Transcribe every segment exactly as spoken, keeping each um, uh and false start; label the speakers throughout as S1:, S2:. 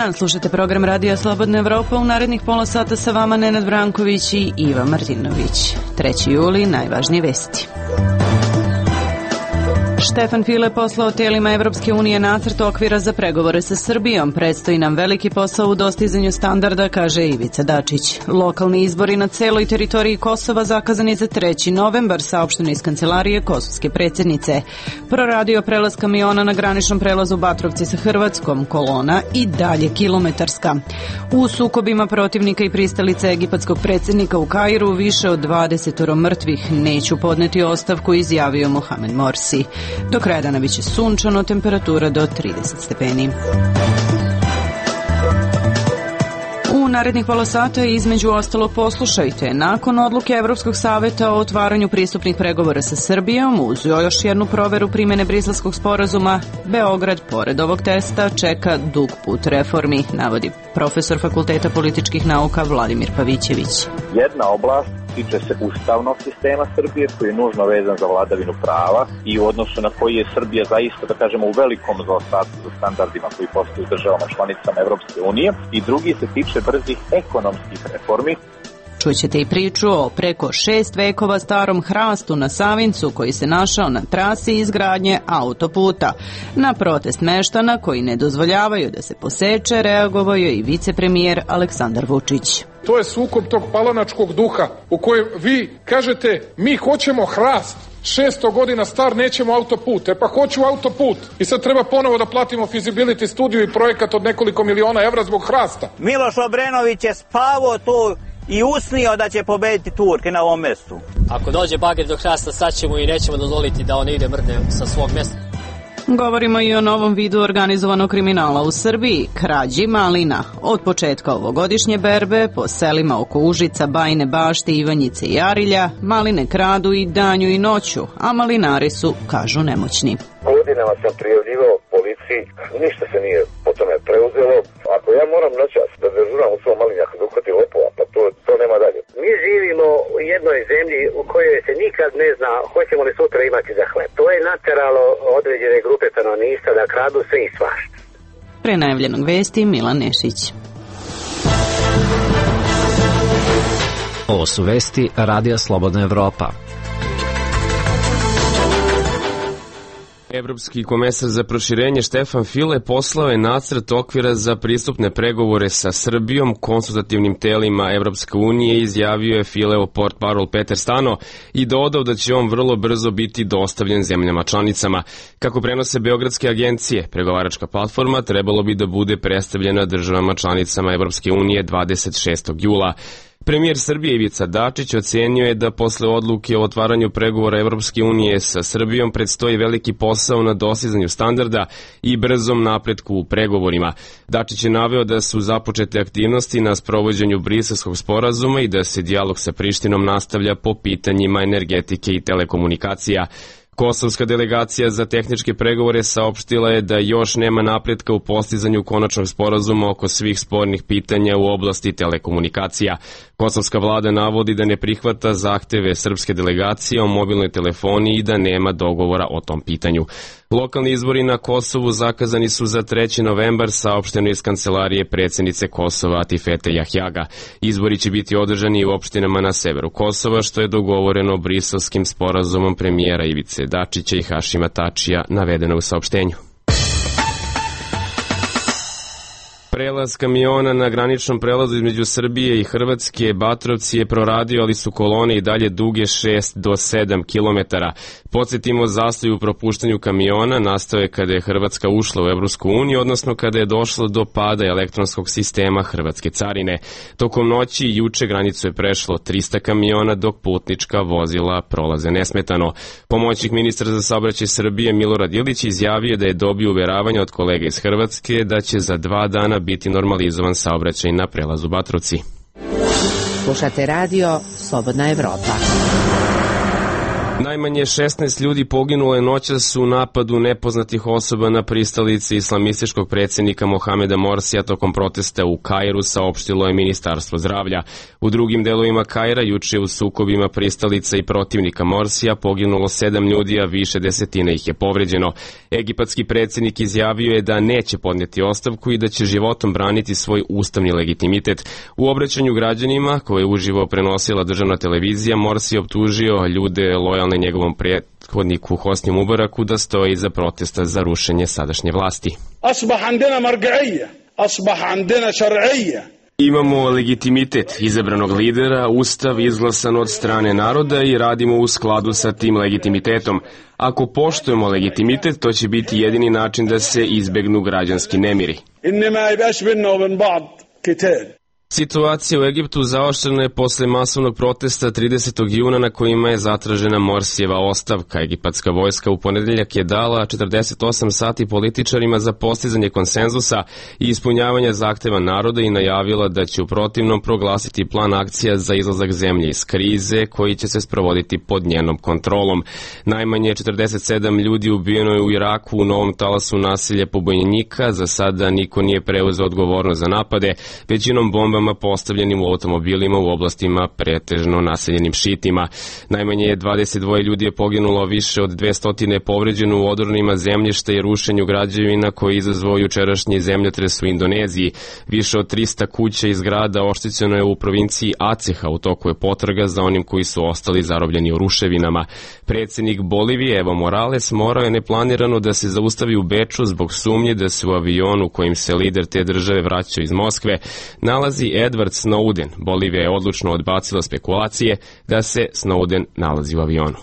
S1: dan, slušate program Radija Slobodna Evropa. U narednih pola sata sa vama Nenad Branković i Iva Martinović. treći juli, najvažnije vesti. Štefan File poslao tijelima Evropske unije nacrt okvira za pregovore sa Srbijom. Predstoji nam veliki posao u dostizanju standarda, kaže Ivica Dačić. Lokalni izbori na celoj teritoriji Kosova zakazani za treći novembar, saopšteno iz kancelarije kosovske predsjednice. Proradio prelaz kamiona na graničnom prelazu Batrovci sa Hrvatskom, kolona i dalje kilometarska. U sukobima protivnika i pristalice egipatskog predsjednika u Kairu više od dvadeset mrtvih. Neću podneti ostavku, izjavio Mohamed Morsi. Do kraja dana biće sunčano, temperatura do trideset stepeni. U narednih pola sata između ostalog poslušajte. Nakon odluke Evropskog saveta o otvaranju pristupnih pregovora sa Srbijom, uz još jednu proveru primjene Briselskog sporazuma, Beograd, pored ovog testa, čeka dug put reformi, navodi profesor Fakulteta političkih nauka Vladimir Pavićević.
S2: Jedna oblast tiče se ustavnog sistema Srbije, koji je nužno vezan za vladavinu prava i u odnosu na koji je Srbija zaista, da kažemo, u velikom zaostatku za standardima koji postoje u državama članicama Evropske unije, i drugi se tiče brzih ekonomskih reformi.
S1: Čućete i priču o preko šest vekova starom hrastu na Savincu koji se našao na trasi izgradnje autoputa. Na protest meštana koji ne dozvoljavaju da se poseče reagovao je i vicepremijer Aleksandar Vučić.
S3: To je sukob tog palanačkog duha u kojem vi kažete mi hoćemo hrast, šesto godina star, nećemo autoput. E pa hoću autoput i sad treba ponovo da platimo feasibility studiju i projekat od nekoliko miliona evra zbog hrasta.
S4: Miloš Obrenović je spavao tu i usnio da će pobediti Turke na ovom mjestu.
S5: Ako dođe bager do hrasta, sad ćemo i nećemo dozvoliti da on ide mrde sa svog mjesta.
S1: Govorimo i o novom vidu organizovanog kriminala u Srbiji, krađi malina. Od početka ovogodišnje berbe po selima oko Užica, Bajine Bašte, Ivanjice i Arilja, maline kradu i danju i noću, a malinari su, kažu, nemoćni.
S6: Godinama sam prijavljivao policiji, ništa se nije po tome preuzelo. Ako ja moram noćas da dežuram u svom malinjaku da uhvati lopova, pa to, to nema dalje.
S7: Mi živimo u jednoj zemlji u kojoj se nikad ne zna hoćemo li sutra imati za hleb. To je nateralo određene grupe stanovništva da kradu sve i svašta.
S1: Pre najavljenog vesti Milan Nešić.
S8: Ovo su vesti Radija Slobodna Evropa.
S9: Evropski komesar za proširenje Štefan File poslao je nacrt okvira za pristupne pregovore sa Srbijom konsultativnim telima Evropske unije, izjavio je Fileo portparol Peter Stano i dodao da će on vrlo brzo biti dostavljen zemljama članicama. Kako prenose beogradske agencije, pregovaračka platforma trebalo bi da bude predstavljena državama članicama Evropske unije dvadeset šestog jula. Premijer Srbije Ivica Dačić ocenio je da posle odluke o otvaranju pregovora Evropske unije sa Srbijom predstoji veliki posao na dostizanju standarda i brzom napretku u pregovorima. Dačić je naveo da su započete aktivnosti na sprovođenju Briselskog sporazuma i da se dijalog sa Prištinom nastavlja po pitanjima energetike i telekomunikacija. Kosovska delegacija za tehničke pregovore saopštila je da još nema napretka u postizanju konačnog sporazuma oko svih spornih pitanja u oblasti telekomunikacija. Kosovska vlada navodi da ne prihvata zahteve srpske delegacije o mobilnoj telefoniji i da nema dogovora o tom pitanju. Lokalni izbori na Kosovu zakazani su za treći novembar, saopšteno iz kancelarije predsjednice Kosova Atifete Jahjaga. Izbori će biti održani u opštinama na severu Kosova, što je dogovoreno briselskim sporazumom premijera Ivice Dačića i Hašima Tačija, navedeno u saopštenju. Prelaz kamiona na graničnom prelazu između Srbije i Hrvatske Batrovci je proradio, ali su kolone i dalje duge šest do sedam kilometara. Podsjetimo, zastoj u propuštanju kamiona nastao je kada je Hrvatska ušla u Evropsku uniju, odnosno kada je došlo do pada elektronskog sistema Hrvatske carine. Tokom noći i juče granicu je prešlo trista kamiona, dok putnička vozila prolaze nesmetano. Pomoćnik ministra za saobraćaj Srbije Milorad Ilić izjavio da je dobio uveravanje od kolega iz Hrvatske da će za dva dana biti normalizovan saobraćaj na prelazu Batrovci.
S10: Slušate radio Slobodna Evropa.
S9: Najmanje šesnaest ljudi poginulo je noćas u napadu nepoznatih osoba na pristalici islamističkog predsjednika Mohameda Morsija tokom protesta u Kairu, saopštilo je Ministarstvo zdravlja. U drugim delovima Kaira juče u sukobima pristalica i protivnika Morsija poginulo sedam ljudi, a više desetina ih je povređeno. Egipatski predsjednik izjavio je da neće podnijeti ostavku i da će životom braniti svoj ustavni legitimitet. U obraćanju građanima, koje je uživo prenosila državna televizija, Morsi optužio ljude lojalne njegovom prethodniku Hosni Mubaraku da stoji iza protesta za rušenje sadašnje vlasti. Imamo legitimitet izabranog lidera, ustav izglasan od strane naroda i radimo u skladu sa tim legitimitetom. Ako poštujemo legitimitet, to će biti jedini način da se izbegnu građanski nemiri. Situacija u Egiptu zaoštrena je posle masovnog protesta tridesetog juna na kojima je zatražena Morsijeva ostavka. Egipatska vojska u ponedeljak je dala četrdeset osam sati političarima za postizanje konsenzusa i ispunjavanje zahteva naroda i najavila da će u protivnom proglasiti plan akcija za izlazak zemlje iz krize koji će se sprovoditi pod njenom kontrolom. Najmanje četrdeset sedam ljudi ubijeno je u Iraku u novom talasu nasilja pobunjenika. Za sada niko nije preuzeo odgovornost za napade, većinom bombama postavljenim u automobilima u oblastima pretežno naseljenim šitima. Najmanje dvadeset dva ljudi je poginulo, više od dvesta je povređeno u odornima zemljišta i rušenju građevina koji je izazvao jučerašnji zemljotres u Indoneziji. Više od trista kuća i zgrada oštećeno je u provinciji Aceha, u toku je potraga za onim koji su ostali zarobljeni u ruševinama. Predsjednik Bolivije Evo Morales morao je neplanirano da se zaustavi u Beču zbog sumnje da se u avionu kojim se lider te države vraćao iz Moskve nalazi Edward Snowden. Bolivija je odlučno odbacila spekulacije da se Snowden nalazi u avionu.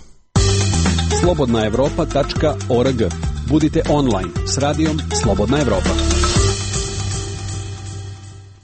S10: slobodna evropa tačka org. Budite online s radijom Slobodna Evropa.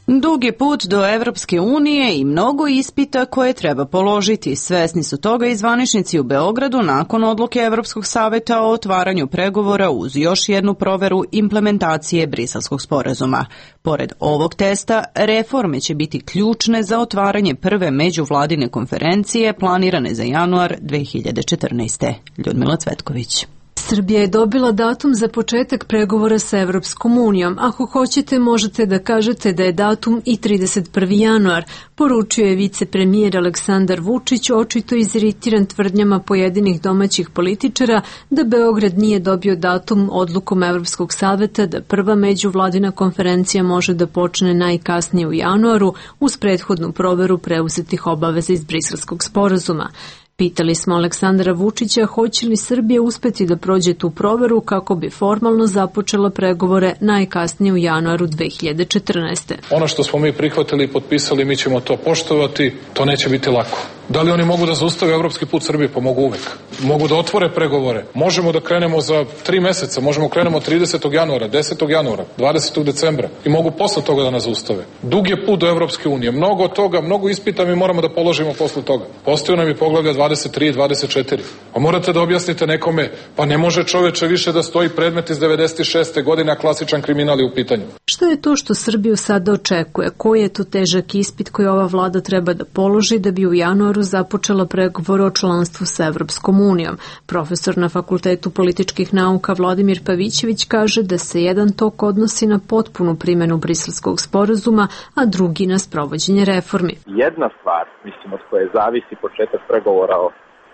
S1: Dug je put do Evropske unije i mnogo ispita koje treba položiti. Svesni su toga i zvaničnici u Beogradu nakon odluke Evropskog saveta o otvaranju pregovora uz još jednu proveru implementacije Briselskog sporazuma. Pored ovog testa, reforme će biti ključne za otvaranje prve međuvladine konferencije planirane za januar dve hiljade četrnaeste. Ljudmila Cvetković.
S11: Srbija je dobila datum za početak pregovora sa Evropskom unijom. Ako hoćete, možete da kažete da je datum i trideset prvi januar, poručio je vicepremijer Aleksandar Vučić, očito iziritiran tvrdnjama pojedinih domaćih političara da Beograd nije dobio datum odlukom Evropskog saveta da prva međuvladina konferencija može da počne najkasnije u januaru uz prethodnu proveru preuzetih obaveza iz Briselskog sporazuma. Pitali smo Aleksandra Vučića hoće li Srbija uspeti da prođe tu proveru kako bi formalno započela pregovore najkasnije u januaru dve hiljade četrnaeste.
S3: Ono što smo mi prihvatili i potpisali, mi ćemo to poštovati, to neće biti lako. Da li oni mogu da zaustave evropski put Srbije? Pa mogu uvek. Mogu da otvore pregovore. Možemo da krenemo za tri meseca, možemo krenemo tridesetog januara, desetog januara, dvadesetog decembra i mogu posle toga da nas zaustave. Dug je put do Evropske unije. Mnogo toga, mnogo ispita mi moramo da položimo posle toga. Postoju nam i poglavlja dvadeset tri i dvadeset četiri. A morate da objasnite nekome, pa ne može čoveče više da stoji predmet iz devedeset šeste godine, a klasičan kriminal je u pitanju.
S11: Što je to što Srbiju sada očekuje? Koji je to težak ispit koji ova vlada treba da položi da bi u januaru započela pregovore o članstvu sa Evropskom unijom? Profesor na Fakultetu političkih nauka Vladimir Pavićević kaže da se jedan tok odnosi na potpunu primjenu Briselskog sporazuma, a drugi na sprovođenje reformi.
S2: Jedna stvar, mislim, od koje zavisi početak pregovora o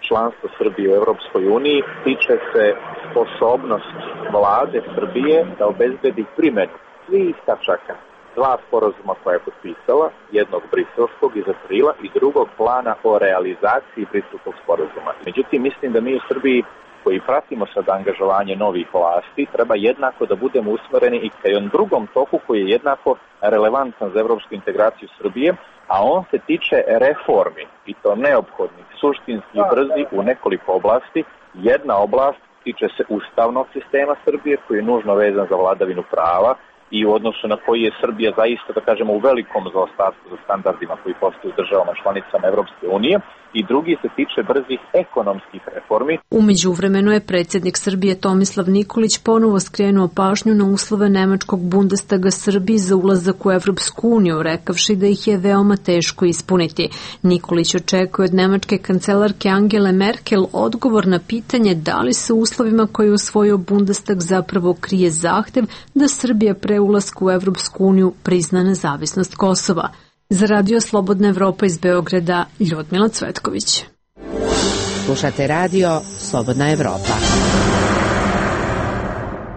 S2: članstvu Srbije u Evropskoj uniji, tiče se sposobnost vlade Srbije da obezbedi primjenu svih tačaka dva sporazuma koja je potpisala, jednog briselskog iz aprila i drugog plana o realizaciji briselskog sporazuma. Međutim, mislim da mi u Srbiji koji pratimo sad angažovanje novih vlasti, treba jednako da budemo usmereni i ka jednom drugom toku koji je jednako relevantan za evropsku integraciju Srbije, a on se tiče reformi i to neophodnih, suštinski i brzi u nekoliko oblasti. Jedna oblast tiče se ustavnog sistema Srbije koji je nužno vezan za vladavinu prava, i u odnosu na koji je Srbija zaista, da kažemo, u velikom zaostatku za standardima koji postoje u državama članicama Evropske unije, i drugi se tiče brzih ekonomskih reformi.
S11: U međuvremenu je predsjednik Srbije Tomislav Nikolić ponovo skrenuo pažnju na uslove nemačkog Bundestaga Srbiji za ulazak u Evropsku uniju, rekavši da ih je veoma teško ispuniti. Nikolić očekuje od nemačke kancelarke Angele Merkel odgovor na pitanje da li se u uslovima koje je usvojio Bundestag zapravo krije zahtev da Srbija pre ulaska u Evropsku uniju prizna nezavisnost Kosova. Za Radio Slobodna Evropa iz Beograda, Ljudmila Cvetković.
S12: Slušate Radio Slobodna Evropa.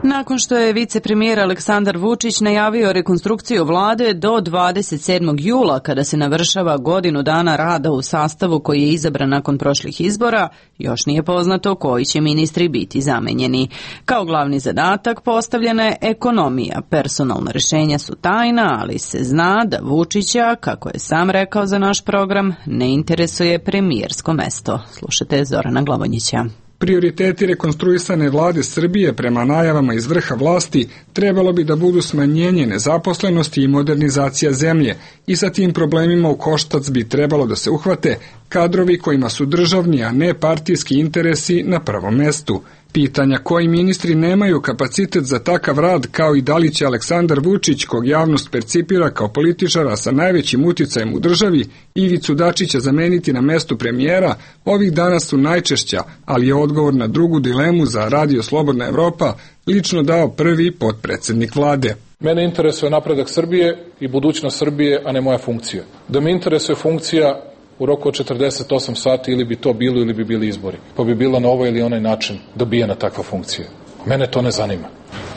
S1: Nakon što je vicepremijer Aleksandar Vučić najavio rekonstrukciju vlade do dvadeset sedmog jula, kada se navršava godinu dana rada u sastavu koji je izabran nakon prošlih izbora, još nije poznato koji će ministri biti zamenjeni. Kao glavni zadatak postavljena je ekonomija. Personalna rešenja su tajna, ali se zna da Vučića, kako je sam rekao za naš program, ne interesuje premijersko mesto. Slušajte Zorana Glavonjića.
S13: Prioriteti rekonstruisane vlade Srbije prema najavama iz vrha vlasti trebalo bi da budu smanjenje nezaposlenosti i modernizacija zemlje, i sa tim problemima u koštac bi trebalo da se uhvate kadrovi kojima su državni, a ne partijski interesi na prvom mestu. Pitanja koji ministri nemaju kapacitet za takav rad, kao i da li će Aleksandar Vučić, kog javnost percipira kao političara sa najvećim uticajem u državi, Ivicu Dačića zameniti na mestu premijera, ovih dana su najčešća, ali je odgovor na drugu dilemu za Radio Slobodna Evropa lično dao prvi potpredsednik vlade.
S3: Mene interesuje napredak Srbije i budućnost Srbije, a ne moja funkcija. Da me interesuje funkcija u roku od četrdeset osam sati, ili bi to bilo ili bi bili izbori, pa bi bila na ovaj ili onaj način dobijena takva funkcija. Mene to ne zanima.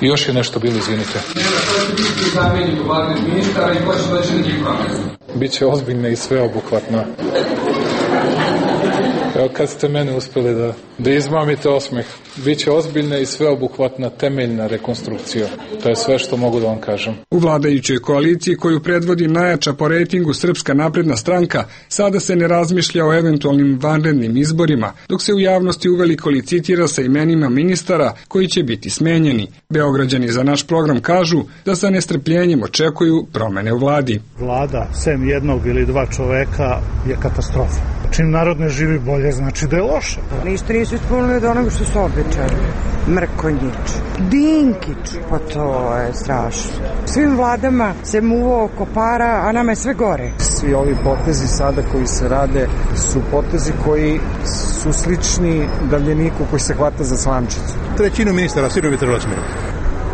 S3: I još je nešto bilo, izvinite. Biće ozbiljna i sveobuhvatna. Evo kad ste mene uspeli da, da izmamite osmeh. Biće ozbiljna i sveobuhvatna temeljna rekonstrukcija. To je sve što mogu da vam kažem.
S13: U vladajućoj koaliciji koju predvodi najjača po rejtingu Srpska napredna stranka, sada se ne razmišlja o eventualnim vanrednim izborima, dok se u javnosti uveliko licitira sa imenima ministara koji će biti smenjeni. Beograđani za naš program kažu da sa nestrpljenjem očekuju promene u vladi.
S14: Vlada, sem jednog ili dva čoveka, je katastrofa. Čim narod ne živi bolje, znači da je loše.
S15: Ništa nisu ispunili od onoga što su obećali. Mrkonjić, Dinkić, pa to je strašno. Svim vladama se muvo oko para, a nama je sve gore.
S16: Svi ovi potezi sada koji se rade su potezi koji su slični davljeniku koji se hvata za slamčicu.
S17: Trećinu ministara sigurno bi trebalo smijeniti.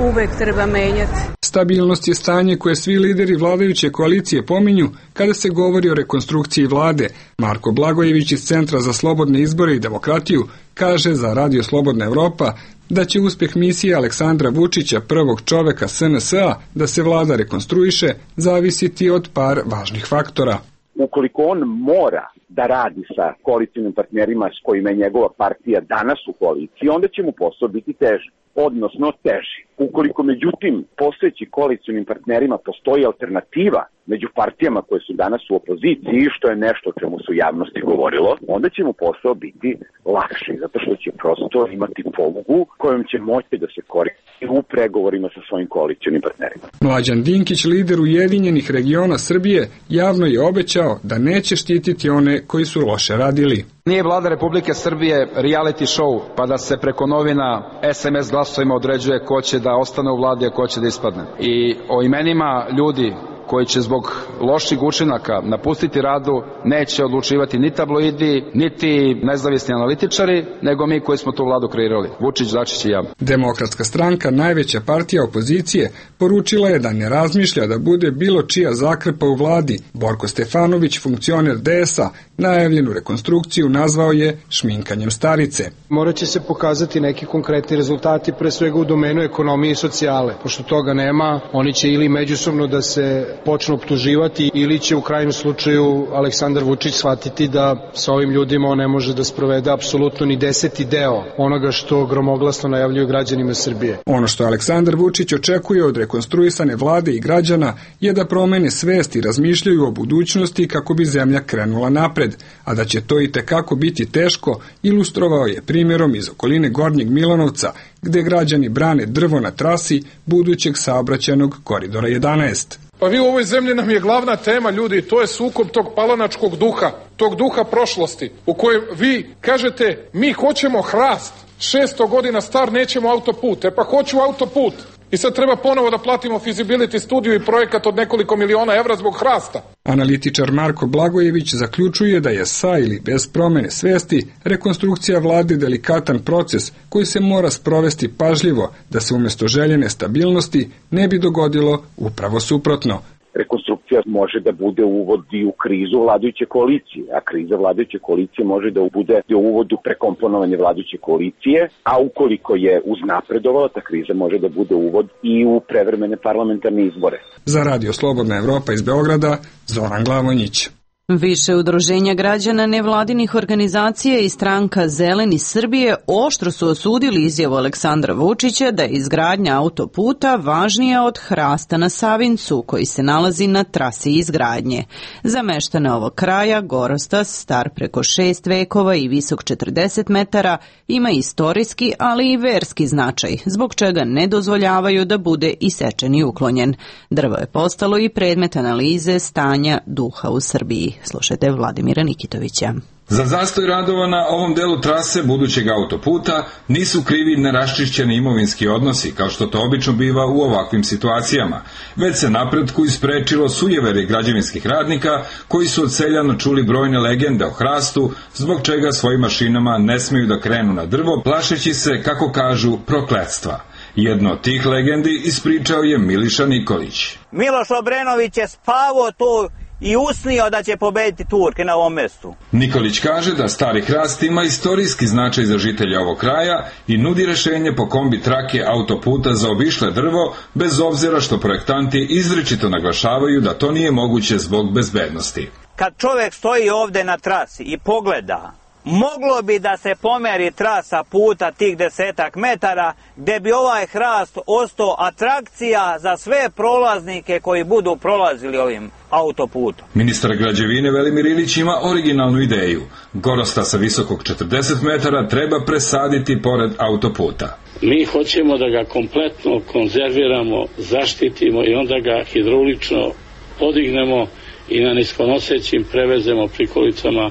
S18: Uvek treba menjati.
S13: Stabilnost je stanje koje svi lideri vladajuće koalicije pominju kada se govori o rekonstrukciji vlade. Marko Blagojević iz Centra za slobodne izbore i demokratiju kaže za Radio Slobodna Evropa da će uspeh misije Aleksandra Vučića, prvog čoveka S N S A, da se vlada rekonstruiše, zavisiti od par važnih faktora.
S19: Ukoliko on mora da radi sa koalicijnim partnerima s kojima je njegova partija danas u koaliciji, onda će mu posao biti teži, odnosno teži. Ukoliko međutim postojeći koalicijnim partnerima postoji alternativa među partijama koje su danas u opoziciji, što je nešto o čemu su javnosti govorilo, onda će mu posao biti lakši, zato što će prosto imati polugu kojom će moći da se koristi u pregovorima sa svojim koalicijnim partnerima.
S13: Mlađan Dinkić, lider Ujedinjenih regiona Srbije, javno je obećao da neće štititi one koji su loše radili.
S20: Nije vlada Republike Srbije reality show, pa da se preko novina es em es glasovima određuje ko će da ostane u vladi, a ko će da ispadne. I o imenima ljudi koji će zbog loših učinaka napustiti radu neće odlučivati ni tabloidi, niti nezavisni analitičari, nego mi koji smo tu vladu kreirali. Vučić, Dačić i ja.
S13: Demokratska stranka, najveća partija opozicije, poručila je da ne razmišlja da bude bilo čija zakrpa u vladi. Borko Stefanović, funkcioner D S A, najavljenu rekonstrukciju nazvao je šminkanjem starice.
S21: Morat će se pokazati neki konkretni rezultati, pre svega u domenu ekonomije i socijale. Pošto toga nema, oni će ili međusobno da se počnu optuživati ili će u krajnjem slučaju Aleksandar Vučić shvatiti da sa ovim ljudima on ne može da sprovede apsolutno ni deseti deo onoga što gromoglasno najavljuju građanima Srbije.
S13: Ono što Aleksandar Vučić očekuje od rekonstruisane vlade i građana je da promene svest i razmišljaju o budućnosti kako bi zemlja krenula napred, a da će to i tekako biti teško ilustrovao je primjerom iz okoline Gornjeg Milanovca, gde građani brane drvo na trasi budućeg saobraćajnog koridora jedanaest.
S3: Pa vi u ovoj zemlji nam je glavna tema, ljudi, to je sukob tog palanačkog duha, tog duha prošlosti, u kojem vi kažete mi hoćemo hrast, šesto godina star, nećemo autoput, e pa hoću autoput. I sad treba ponovo da platimo feasibility studiju i projekat od nekoliko miliona evra zbog hrasta.
S13: Analitičar Marko Blagojević zaključuje da je sa ili bez promene svesti rekonstrukcija vlade delikatan proces koji se mora sprovesti pažljivo da se umjesto željene stabilnosti ne bi dogodilo upravo suprotno.
S19: Rekonstrukcija može da bude uvod i u krizu vladajuće koalicije, a kriza vladajuće koalicije može da bude i uvod u prekomponovanje vladajuće koalicije, a ukoliko je uznapredovala, ta kriza može da bude uvod i u prevremene parlamentarne izbore.
S13: Za Radio Slobodna Evropa iz Beograda, Zoran Glavonjić.
S1: Više udruženja građana, nevladinih organizacija i stranka Zeleni Srbije oštro su osudili izjavu Aleksandra Vučića da je izgradnja autoputa važnija od hrasta na Savincu, koji se nalazi na trasi izgradnje. Za meštane ovog kraja, Gorostas, star preko šest vekova i visok četrdeset metara, ima istorijski, ali i verski značaj, zbog čega ne dozvoljavaju da bude isečen i uklonjen. Drvo je postalo i predmet analize stanja duha u Srbiji. Slušajte Vladimira Nikitovića.
S4: Za zastoj radova na ovom delu trase budućeg autoputa nisu krivi neraščišćeni imovinski odnosi, kao što to obično biva u ovakvim situacijama, već se napretku isprečilo sujevere građevinskih radnika koji su od seljana čuli brojne legende o hrastu, zbog čega svojim mašinama ne smeju da krenu na drvo, plašeći se, kako kažu, prokletstva. Jedno od tih legendi ispričao je Miliša Nikolić.
S22: Miloš Obrenović je spavao tu i usnio da će pobediti Turke na ovom mestu.
S4: Nikolić kaže da stari hrast ima istorijski značaj za žitelja ovog kraja i nudi rešenje po kombi trake autoputa za obišle drvo, bez obzira što projektanti izričito naglašavaju da to nije moguće zbog bezbednosti.
S22: Kad čovjek stoji ovde na trasi i pogleda, moglo bi da se pomeri trasa puta tih desetak metara, gde bi ovaj hrast ostao atrakcija za sve prolaznike koji budu prolazili ovim autoputom.
S4: Ministar građevine Velimir Ilić ima originalnu ideju. Gorostasa visokog četrdeset metara treba presaditi pored autoputa.
S23: Mi hoćemo da ga kompletno konzerviramo, zaštitimo i onda ga hidraulično podignemo i na niskonosećim prevezemo prikolicama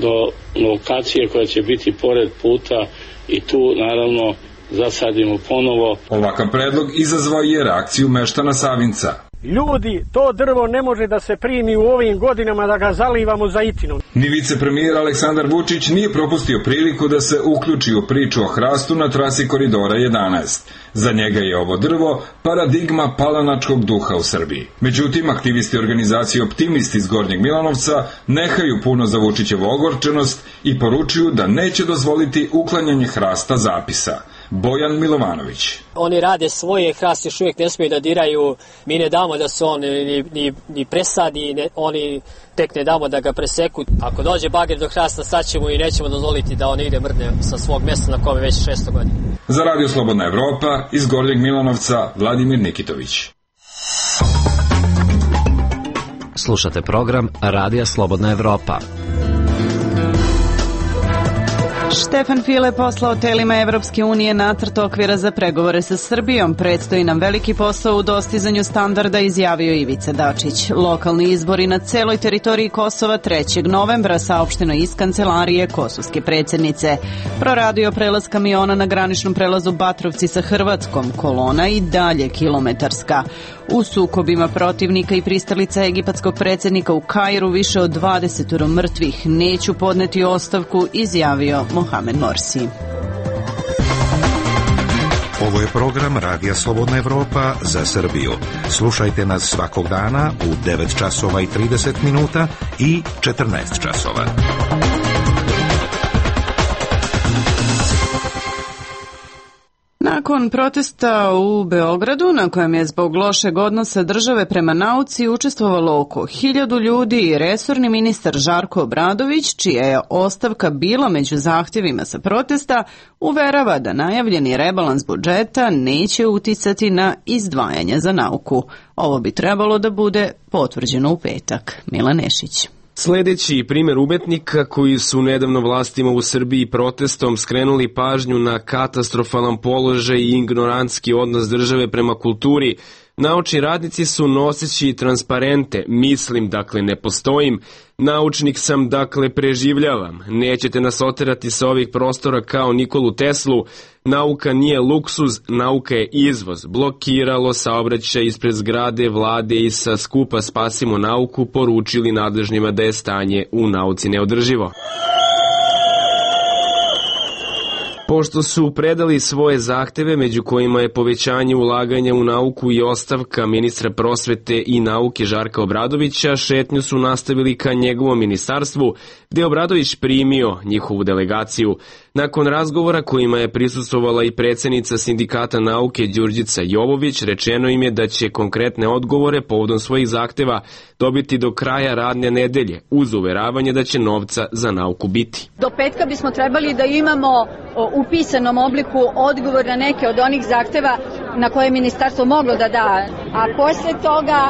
S23: do lokacije koja će biti pored puta i tu naravno zasadimo ponovo.
S4: Ovakav predlog izazvao je reakciju meštana Savinca.
S24: Ljudi, to drvo ne može da se primi u ovim godinama da ga zalivamo zaitinom.
S4: Ni vicepremijer Aleksandar Vučić nije propustio priliku da se uključi u priču o hrastu na trasi koridora jedanaest. Za njega je ovo drvo paradigma palanačkog duha u Srbiji. Međutim, aktivisti organizacije Optimisti iz Gornjeg Milanovca nehaju puno za Vučićevu ogorčenost i poručuju da neće dozvoliti uklanjanje hrasta zapisa. Bojan Milovanović.
S5: Oni rade svoje, hrast još uvijek ne smiju da diraju, mi ne damo da se on ni, ni, ni presadi, ne, oni tek ne damo da ga preseku. Ako dođe bager do hrasta, saćemo i nećemo dozvoliti da on ide mrne sa svog mjesta na kome već šesto godina.
S4: Za Radio Slobodna Evropa iz Gornjeg Milanovca, Vladimir Nikitović.
S8: Slušate program Radija Slobodna Evropa.
S1: Štefan File poslao telima Evropske unije nacrt okvira za pregovore sa Srbijom. Predstoji nam veliki posao u dostizanju standarda, izjavio Ivica Dačić. Lokalni izbori na celoj teritoriji Kosova trećeg novembra, saopšteno iz kancelarije kosovske predsjednice. Proradio prelaz kamiona na graničnom prelazu Batrovci sa Hrvatskom, kolona i dalje kilometarska. U sukobima protivnika i pristalica egipatskog predsjednika u Kairu više od dvadeset mrtvih. Neću podneti ostavku, izjavio Mohamed Morsi.
S25: Ovo je program Radija Slobodna Evropa za Srbiju. Slušajte nas svakog dana u devet časova i trideset minuta i četrnaest časova.
S1: Nakon protesta u Beogradu, na kojem je zbog lošeg odnosa države prema nauci učestvovalo oko hiljadu ljudi, resorni ministar Žarko Obradović, čija je ostavka bila među zahtjevima sa protesta, uverava da najavljeni rebalans budžeta neće uticati na izdvajanje za nauku. Ovo bi trebalo da bude potvrđeno u petak. Milan Nešić.
S2: Sljedeći primjer umetnika koji su nedavno vlastima u Srbiji protestom skrenuli pažnju na katastrofalan položaj i ignorantski odnos države prema kulturi. Naučni radnici su noseći transparente, mislim, dakle ne postojim, naučnik sam, dakle preživljavam, nećete nas oterati sa ovih prostora kao Nikolu Teslu, nauka nije luksuz, nauka je izvoz, blokiralo saobraćaj ispred zgrade vlade i sa skupa Spasimo nauku poručili nadležnima da je stanje u nauci neodrživo. Pošto su predali svoje zahteve, među kojima je povećanje ulaganja u nauku i ostavka ministra prosvete i nauke Žarka Obradovića, šetnju su nastavili ka njegovom ministarstvu, gde je Obradović primio njihovu delegaciju. Nakon razgovora kojima je prisustvovala i predsjednica Sindikata nauke Đurđica Jovović, rečeno im je da će konkretne odgovore povodom svojih zahteva dobiti do kraja radne nedelje, uz uveravanje da će novca za nauku biti.
S6: Do petka bismo trebali da imamo u pisanom obliku odgovor na neke od onih zahteva na koje je ministarstvo moglo da da, a posle toga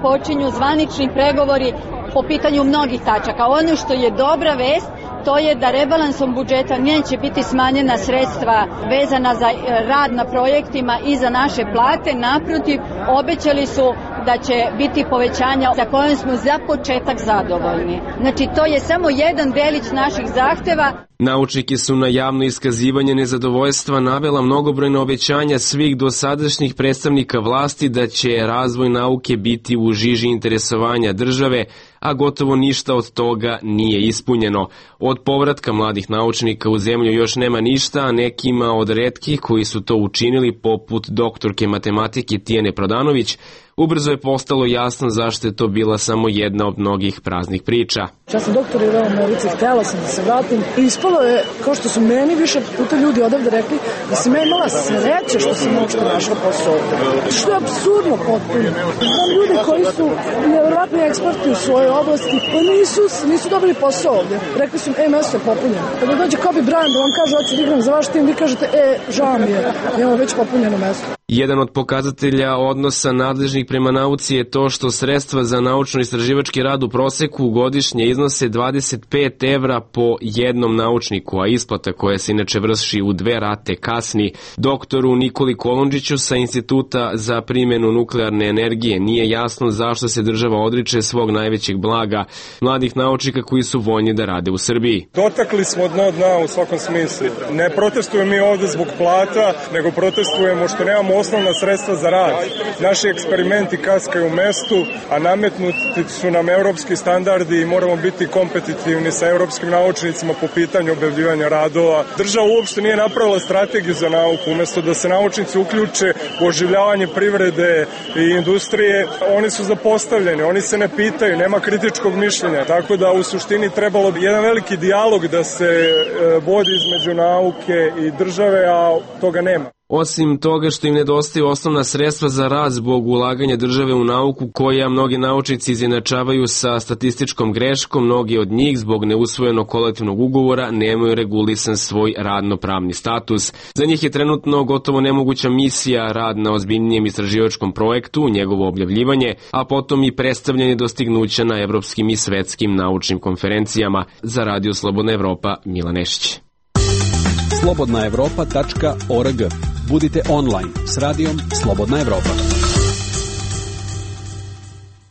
S6: počinju zvanični pregovori po pitanju mnogih tačaka. Ono što je dobra vest, to je da rebalansom budžeta neće biti smanjena sredstva vezana za rad na projektima i za naše plate. Naprotiv, obećali su da će biti povećanja za koje smo za početak zadovoljni. Znači, to je samo jedan delić naših zahteva.
S2: Naučniki su na javno iskazivanje nezadovoljstva navela mnogobrojne obećanja svih dosadašnjih predstavnika vlasti da će razvoj nauke biti u žiži interesovanja države, a gotovo ništa od toga nije ispunjeno. Od povratka mladih naučnika u zemlju još nema ništa, a nekima od retkih koji su to učinili, poput doktorke matematike Tijene Prodanović, ubrzo je postalo jasno zašto je to bila samo jedna od mnogih praznih priča.
S7: Ja sam doktorirala u Americi, htjela sam da se vratim i ispalo je, kao što su meni više puta ljudi odavde rekli, da sam ja imala sreće što sam uopšte našla posao ovde. Što je apsurdno potpuno. Znam ljude koji su nevjerovatni eksperti u svojoj oblasti, pa nisu, nisu dobili posao ovde. Rekli su, e, mesto je popunjeno. Kada dođe Kobe Bryant da vam kaže, hoću da igram za vaš tim, vi kažete, e, žao mi je, imamo već popunjeno mesto.
S2: Jedan od pokazatelja odnosa nadležnih prema nauci je to što sredstva za naučno-istraživački rad u proseku godišnje iznose dvadeset pet evra po jednom naučniku, a isplata koja se inače vrši u dve rate kasni. Doktoru Nikoli Kolundžiću sa Instituta za primjenu nuklearne energije nije jasno zašto se država odriče svog najvećeg blaga, mladih naučnika koji su voljni da rade u Srbiji.
S9: Dotakli smo dno dna u svakom smislu. Ne protestujemo mi ovde zbog plata, nego protestujemo što nemamo osnovna sredstva za rad. Naši eksperimenti kaskaju u mestu, a nametnuti su nam evropski standardi i moramo biti kompetitivni sa evropskim naučnicima po pitanju objavljivanja radova. Država uopšte nije napravila strategiju za nauku. Umesto da se naučnici uključe u oživljavanje privrede i industrije, oni su zapostavljeni, oni se ne pitaju, nema kritičkog mišljenja. Tako da u suštini trebalo bi jedan veliki dijalog da se vodi između nauke i države, a toga nema.
S2: Osim toga što im nedostaju osnovna sredstva za rad zbog ulaganja države u nauku, koja mnogi naučnici izjednačavaju sa statističkom greškom, mnogi od njih zbog neusvojenog kolektivnog ugovora nemaju regulisan svoj radno-pravni status. Za njih je trenutno gotovo nemoguća misija rad na ozbiljnijem istraživačkom projektu, njegovo objavljivanje, a potom i predstavljanje dostignuća na evropskim i svetskim naučnim konferencijama. Za Radio Slobodna Evropa, Milan Nešić.
S10: slobodna evropa tačka org. Budite online s radijom Slobodna Evropa.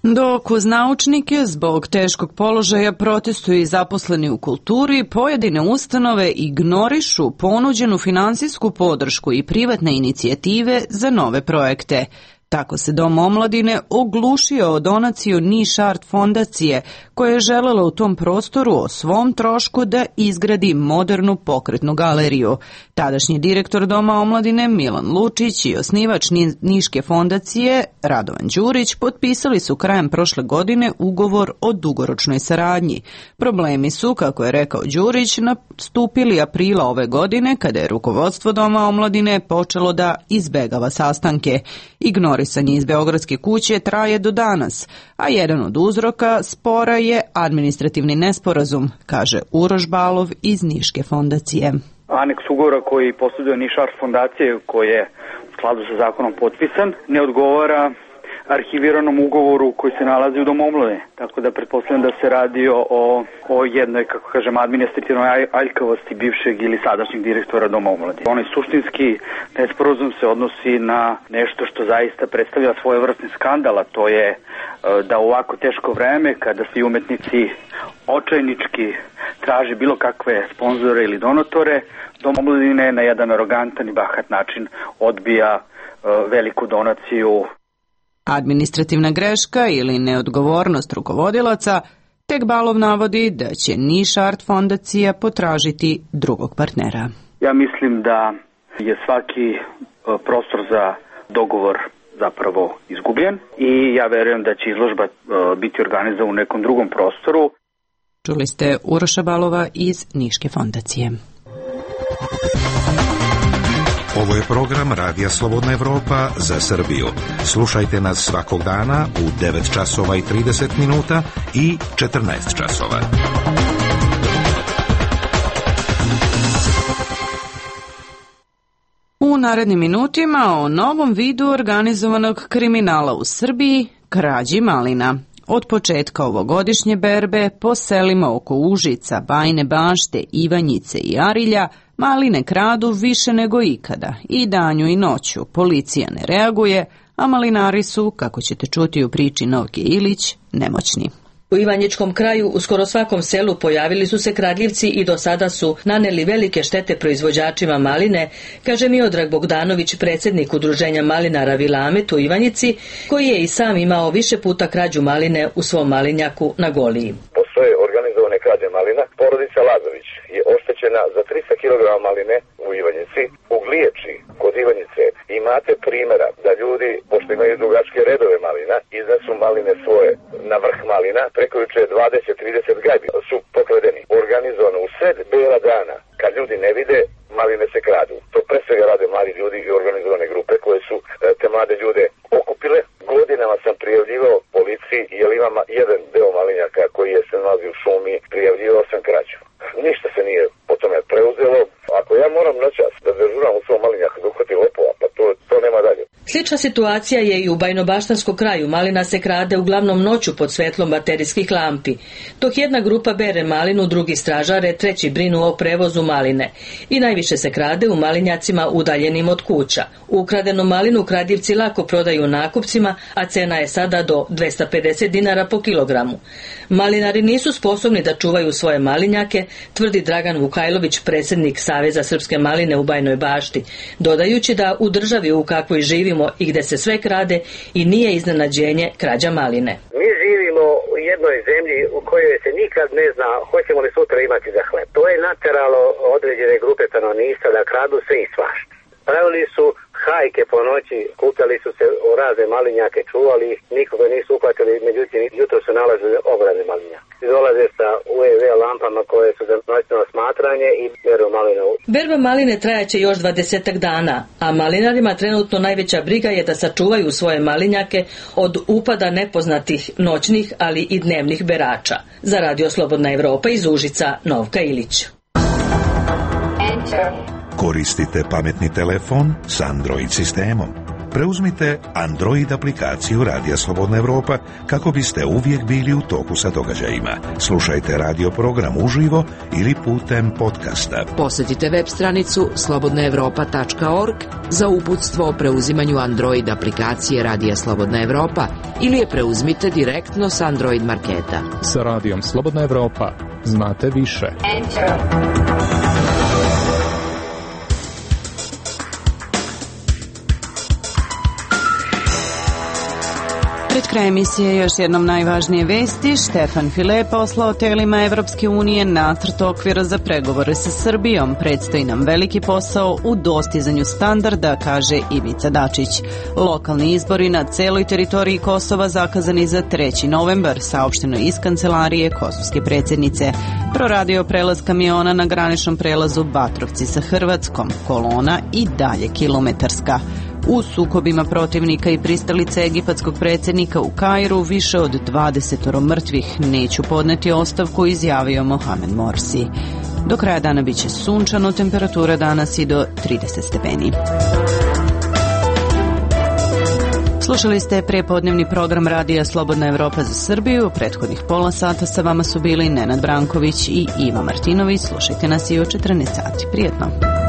S1: Dok uz naučnike zbog teškog položaja protestuju i zaposleni u kulturi, pojedine ustanove ignorišu ponuđenu finansijsku podršku i privatne inicijative za nove projekte. Tako se Dom omladine oglušio o donaciju Niš Art fondacije, koja je želela u tom prostoru o svom trošku da izgradi modernu pokretnu galeriju. Tadašnji direktor Doma omladine Milan Lučić i osnivač Niške fondacije Radovan Đurić potpisali su krajem prošle godine ugovor o dugoročnoj saradnji. Problemi su, kako je rekao Đurić, nastupili aprila ove godine kada je rukovodstvo Doma omladine počelo da izbegava sastanke. Ignorisanje iz Beogradske kuće traje do danas, a jedan od uzroka spora je administrativni nesporazum, kaže Uroš Balov iz Niške fondacije.
S11: Aneks ugovora koji posjeduje Niš Art fondacije, koji je u skladu sa zakonom potpisan, ne odgovara arhiviranom ugovoru koji se nalazi u Domu omladine. Tako da pretpostavljam da se radi o, o jednoj, kako kažem, administrativnoj aljkavosti bivšeg ili sadašnjeg direktora Doma omladine. Onaj suštinski nesporazum se odnosi na nešto što zaista predstavlja svojevrsni skandal, a to je da u ovako teško vreme, kada svi umetnici očajnički traže bilo kakve sponzore ili donatore, Dom omladine na jedan arogantan i bahat način odbija veliku donaciju.
S1: Administrativna greška ili neodgovornost rukovodilaca, tek Balov navodi da će Niš Art fondacija potražiti drugog partnera.
S11: Ja mislim da je svaki prostor za dogovor zapravo izgubljen i ja verujem da će izložba biti organizovana u nekom drugom prostoru.
S1: Čuli ste Uroša Balova iz Niške fondacije.
S25: Ovo je program Radija Slobodna Evropa za Srbiju. Slušajte nas svakog dana u devet časova i trideset minuta i četrnaest časova.
S1: U narednim minutima o novom vidu organizovanog kriminala u Srbiji, krađi malina. Od početka ovogodišnje berbe po selima oko Užica, Bajine Bašte, Ivanjice i Arilja maline kradu više nego ikada. I danju i noću policija ne reaguje, a malinari su, kako ćete čuti u priči Novke Ilić, nemoćni.
S12: U Ivanjičkom kraju u skoro svakom selu pojavili su se kradljivci i do sada su naneli velike štete proizvođačima maline, kaže Miodrag Bogdanović, predsjednik udruženja malinara Vilamet u Ivanjici, koji je i sam imao više puta krađu maline u svom malinjaku na Goliji.
S14: Postoje organizovane krađe malina. Porodica Lazović je oštećena za tristo kilograma maline u Ivanjici. U Gliječi, kod Ivanjice, imate primjera da ljudi, pošto imaju dugačke redove malina, iznesu maline svoje na vrh malina, preko juče dvadeset trideset gajbi su pokradeni. Organizovano u sred bela dana, kad ljudi ne vide, maline se kradu. To pre svega rade mladi ljudi i organizovane grupe koje su te mlade ljude okupile. Godinama sam prijavljivao policiji, jer imam jedan deo malinjaka koji je se nalazi u šumi, prijavljivao sam krađu. Ništa se nije po tome preuzelo. Ako ja moram noćas da dežuram u svom malinjaku da uhvati lopova, pa to, to nema dalje.
S12: Slična situacija je i u Bajnobaštanskom kraju. Malina se krade uglavnom noću pod svetlom baterijskih lampi. Dok jedna grupa bere malinu, drugi stražare, treći brinu o prevozu maline. I najviše se krade u malinjacima udaljenim od kuća. Ukradenu malinu kradljivci lako prodaju nakupcima, a cena je sada do dvesta pedeset dinara po kilogramu. Malinari nisu sposobni da čuvaju svoje malinjake, tvrdi Dragan Vukajlović, predsjednik Saveza Srpske maline u Bajnoj Bašti, dodajući da u državi u kakvoj živimo i gde se sve krade i nije iznenađenje krađa maline.
S15: Mi živimo u jednoj zemlji u kojoj se nikad ne zna hoćemo li sutra imati za hleb. To je nateralo određene grupe stanovništva da kradu sve i svašta. Pravili su hajke po noći, kupljali su se u razne malinjake, čuvali ih, nikoga nisu uhvatili, međutim jutro su nalazili ogromne malinjake. Dolaze sa U E V lampama koje su za noćno smatranje i beru malinu.
S12: Berba maline trajaće još dvadesetak dana, a malinarima trenutno najveća briga je da sačuvaju svoje malinjake od upada nepoznatih noćnih, ali i dnevnih berača. Za Radio Slobodna Evropa iz Užica, Novka Ilić.
S25: Enter. Koristite pametni telefon s Android sistemom. Preuzmite Android aplikaciju Radija Slobodna Evropa kako biste uvijek bili u toku sa događajima. Slušajte radio program uživo ili putem podcasta.
S16: Posjetite web stranicu slobodna evropa tačka org za uputstvo o preuzimanju Android aplikacije Radija Slobodna Evropa ili je preuzmite direktno s Android marketa.
S26: Sa Radijom Slobodna Evropa znate više. Enter.
S1: kraja emisije još jednom najvažnije vesti. Štefan File poslao telima Evropske unije nacrt okvira za pregovore sa Srbijom. Predstoji nam veliki posao u dostizanju standarda, kaže Ivica Dačić. Lokalni izbori na celoj teritoriji Kosova zakazani za treći novembar, saopšteno iz kancelarije kosovske predsjednice. Proradio prelaz kamiona na graničnom prelazu Batrovci sa Hrvatskom. Kolona i dalje kilometarska. U sukobima protivnika i pristalice egipatskog predsjednika u Kairu više od dvadeset mrtvih. Neću podneti ostavku, izjavio Mohamed Morsi. Do kraja dana biće sunčano, temperatura danas i do trideset stepeni. Slušali ste prepodnevni program Radija Slobodna Evropa za Srbiju. U prethodnih pola sata sa vama su bili Nenad Branković i Iva Martinović. Slušajte nas i u četrnaest sati. Prijetno.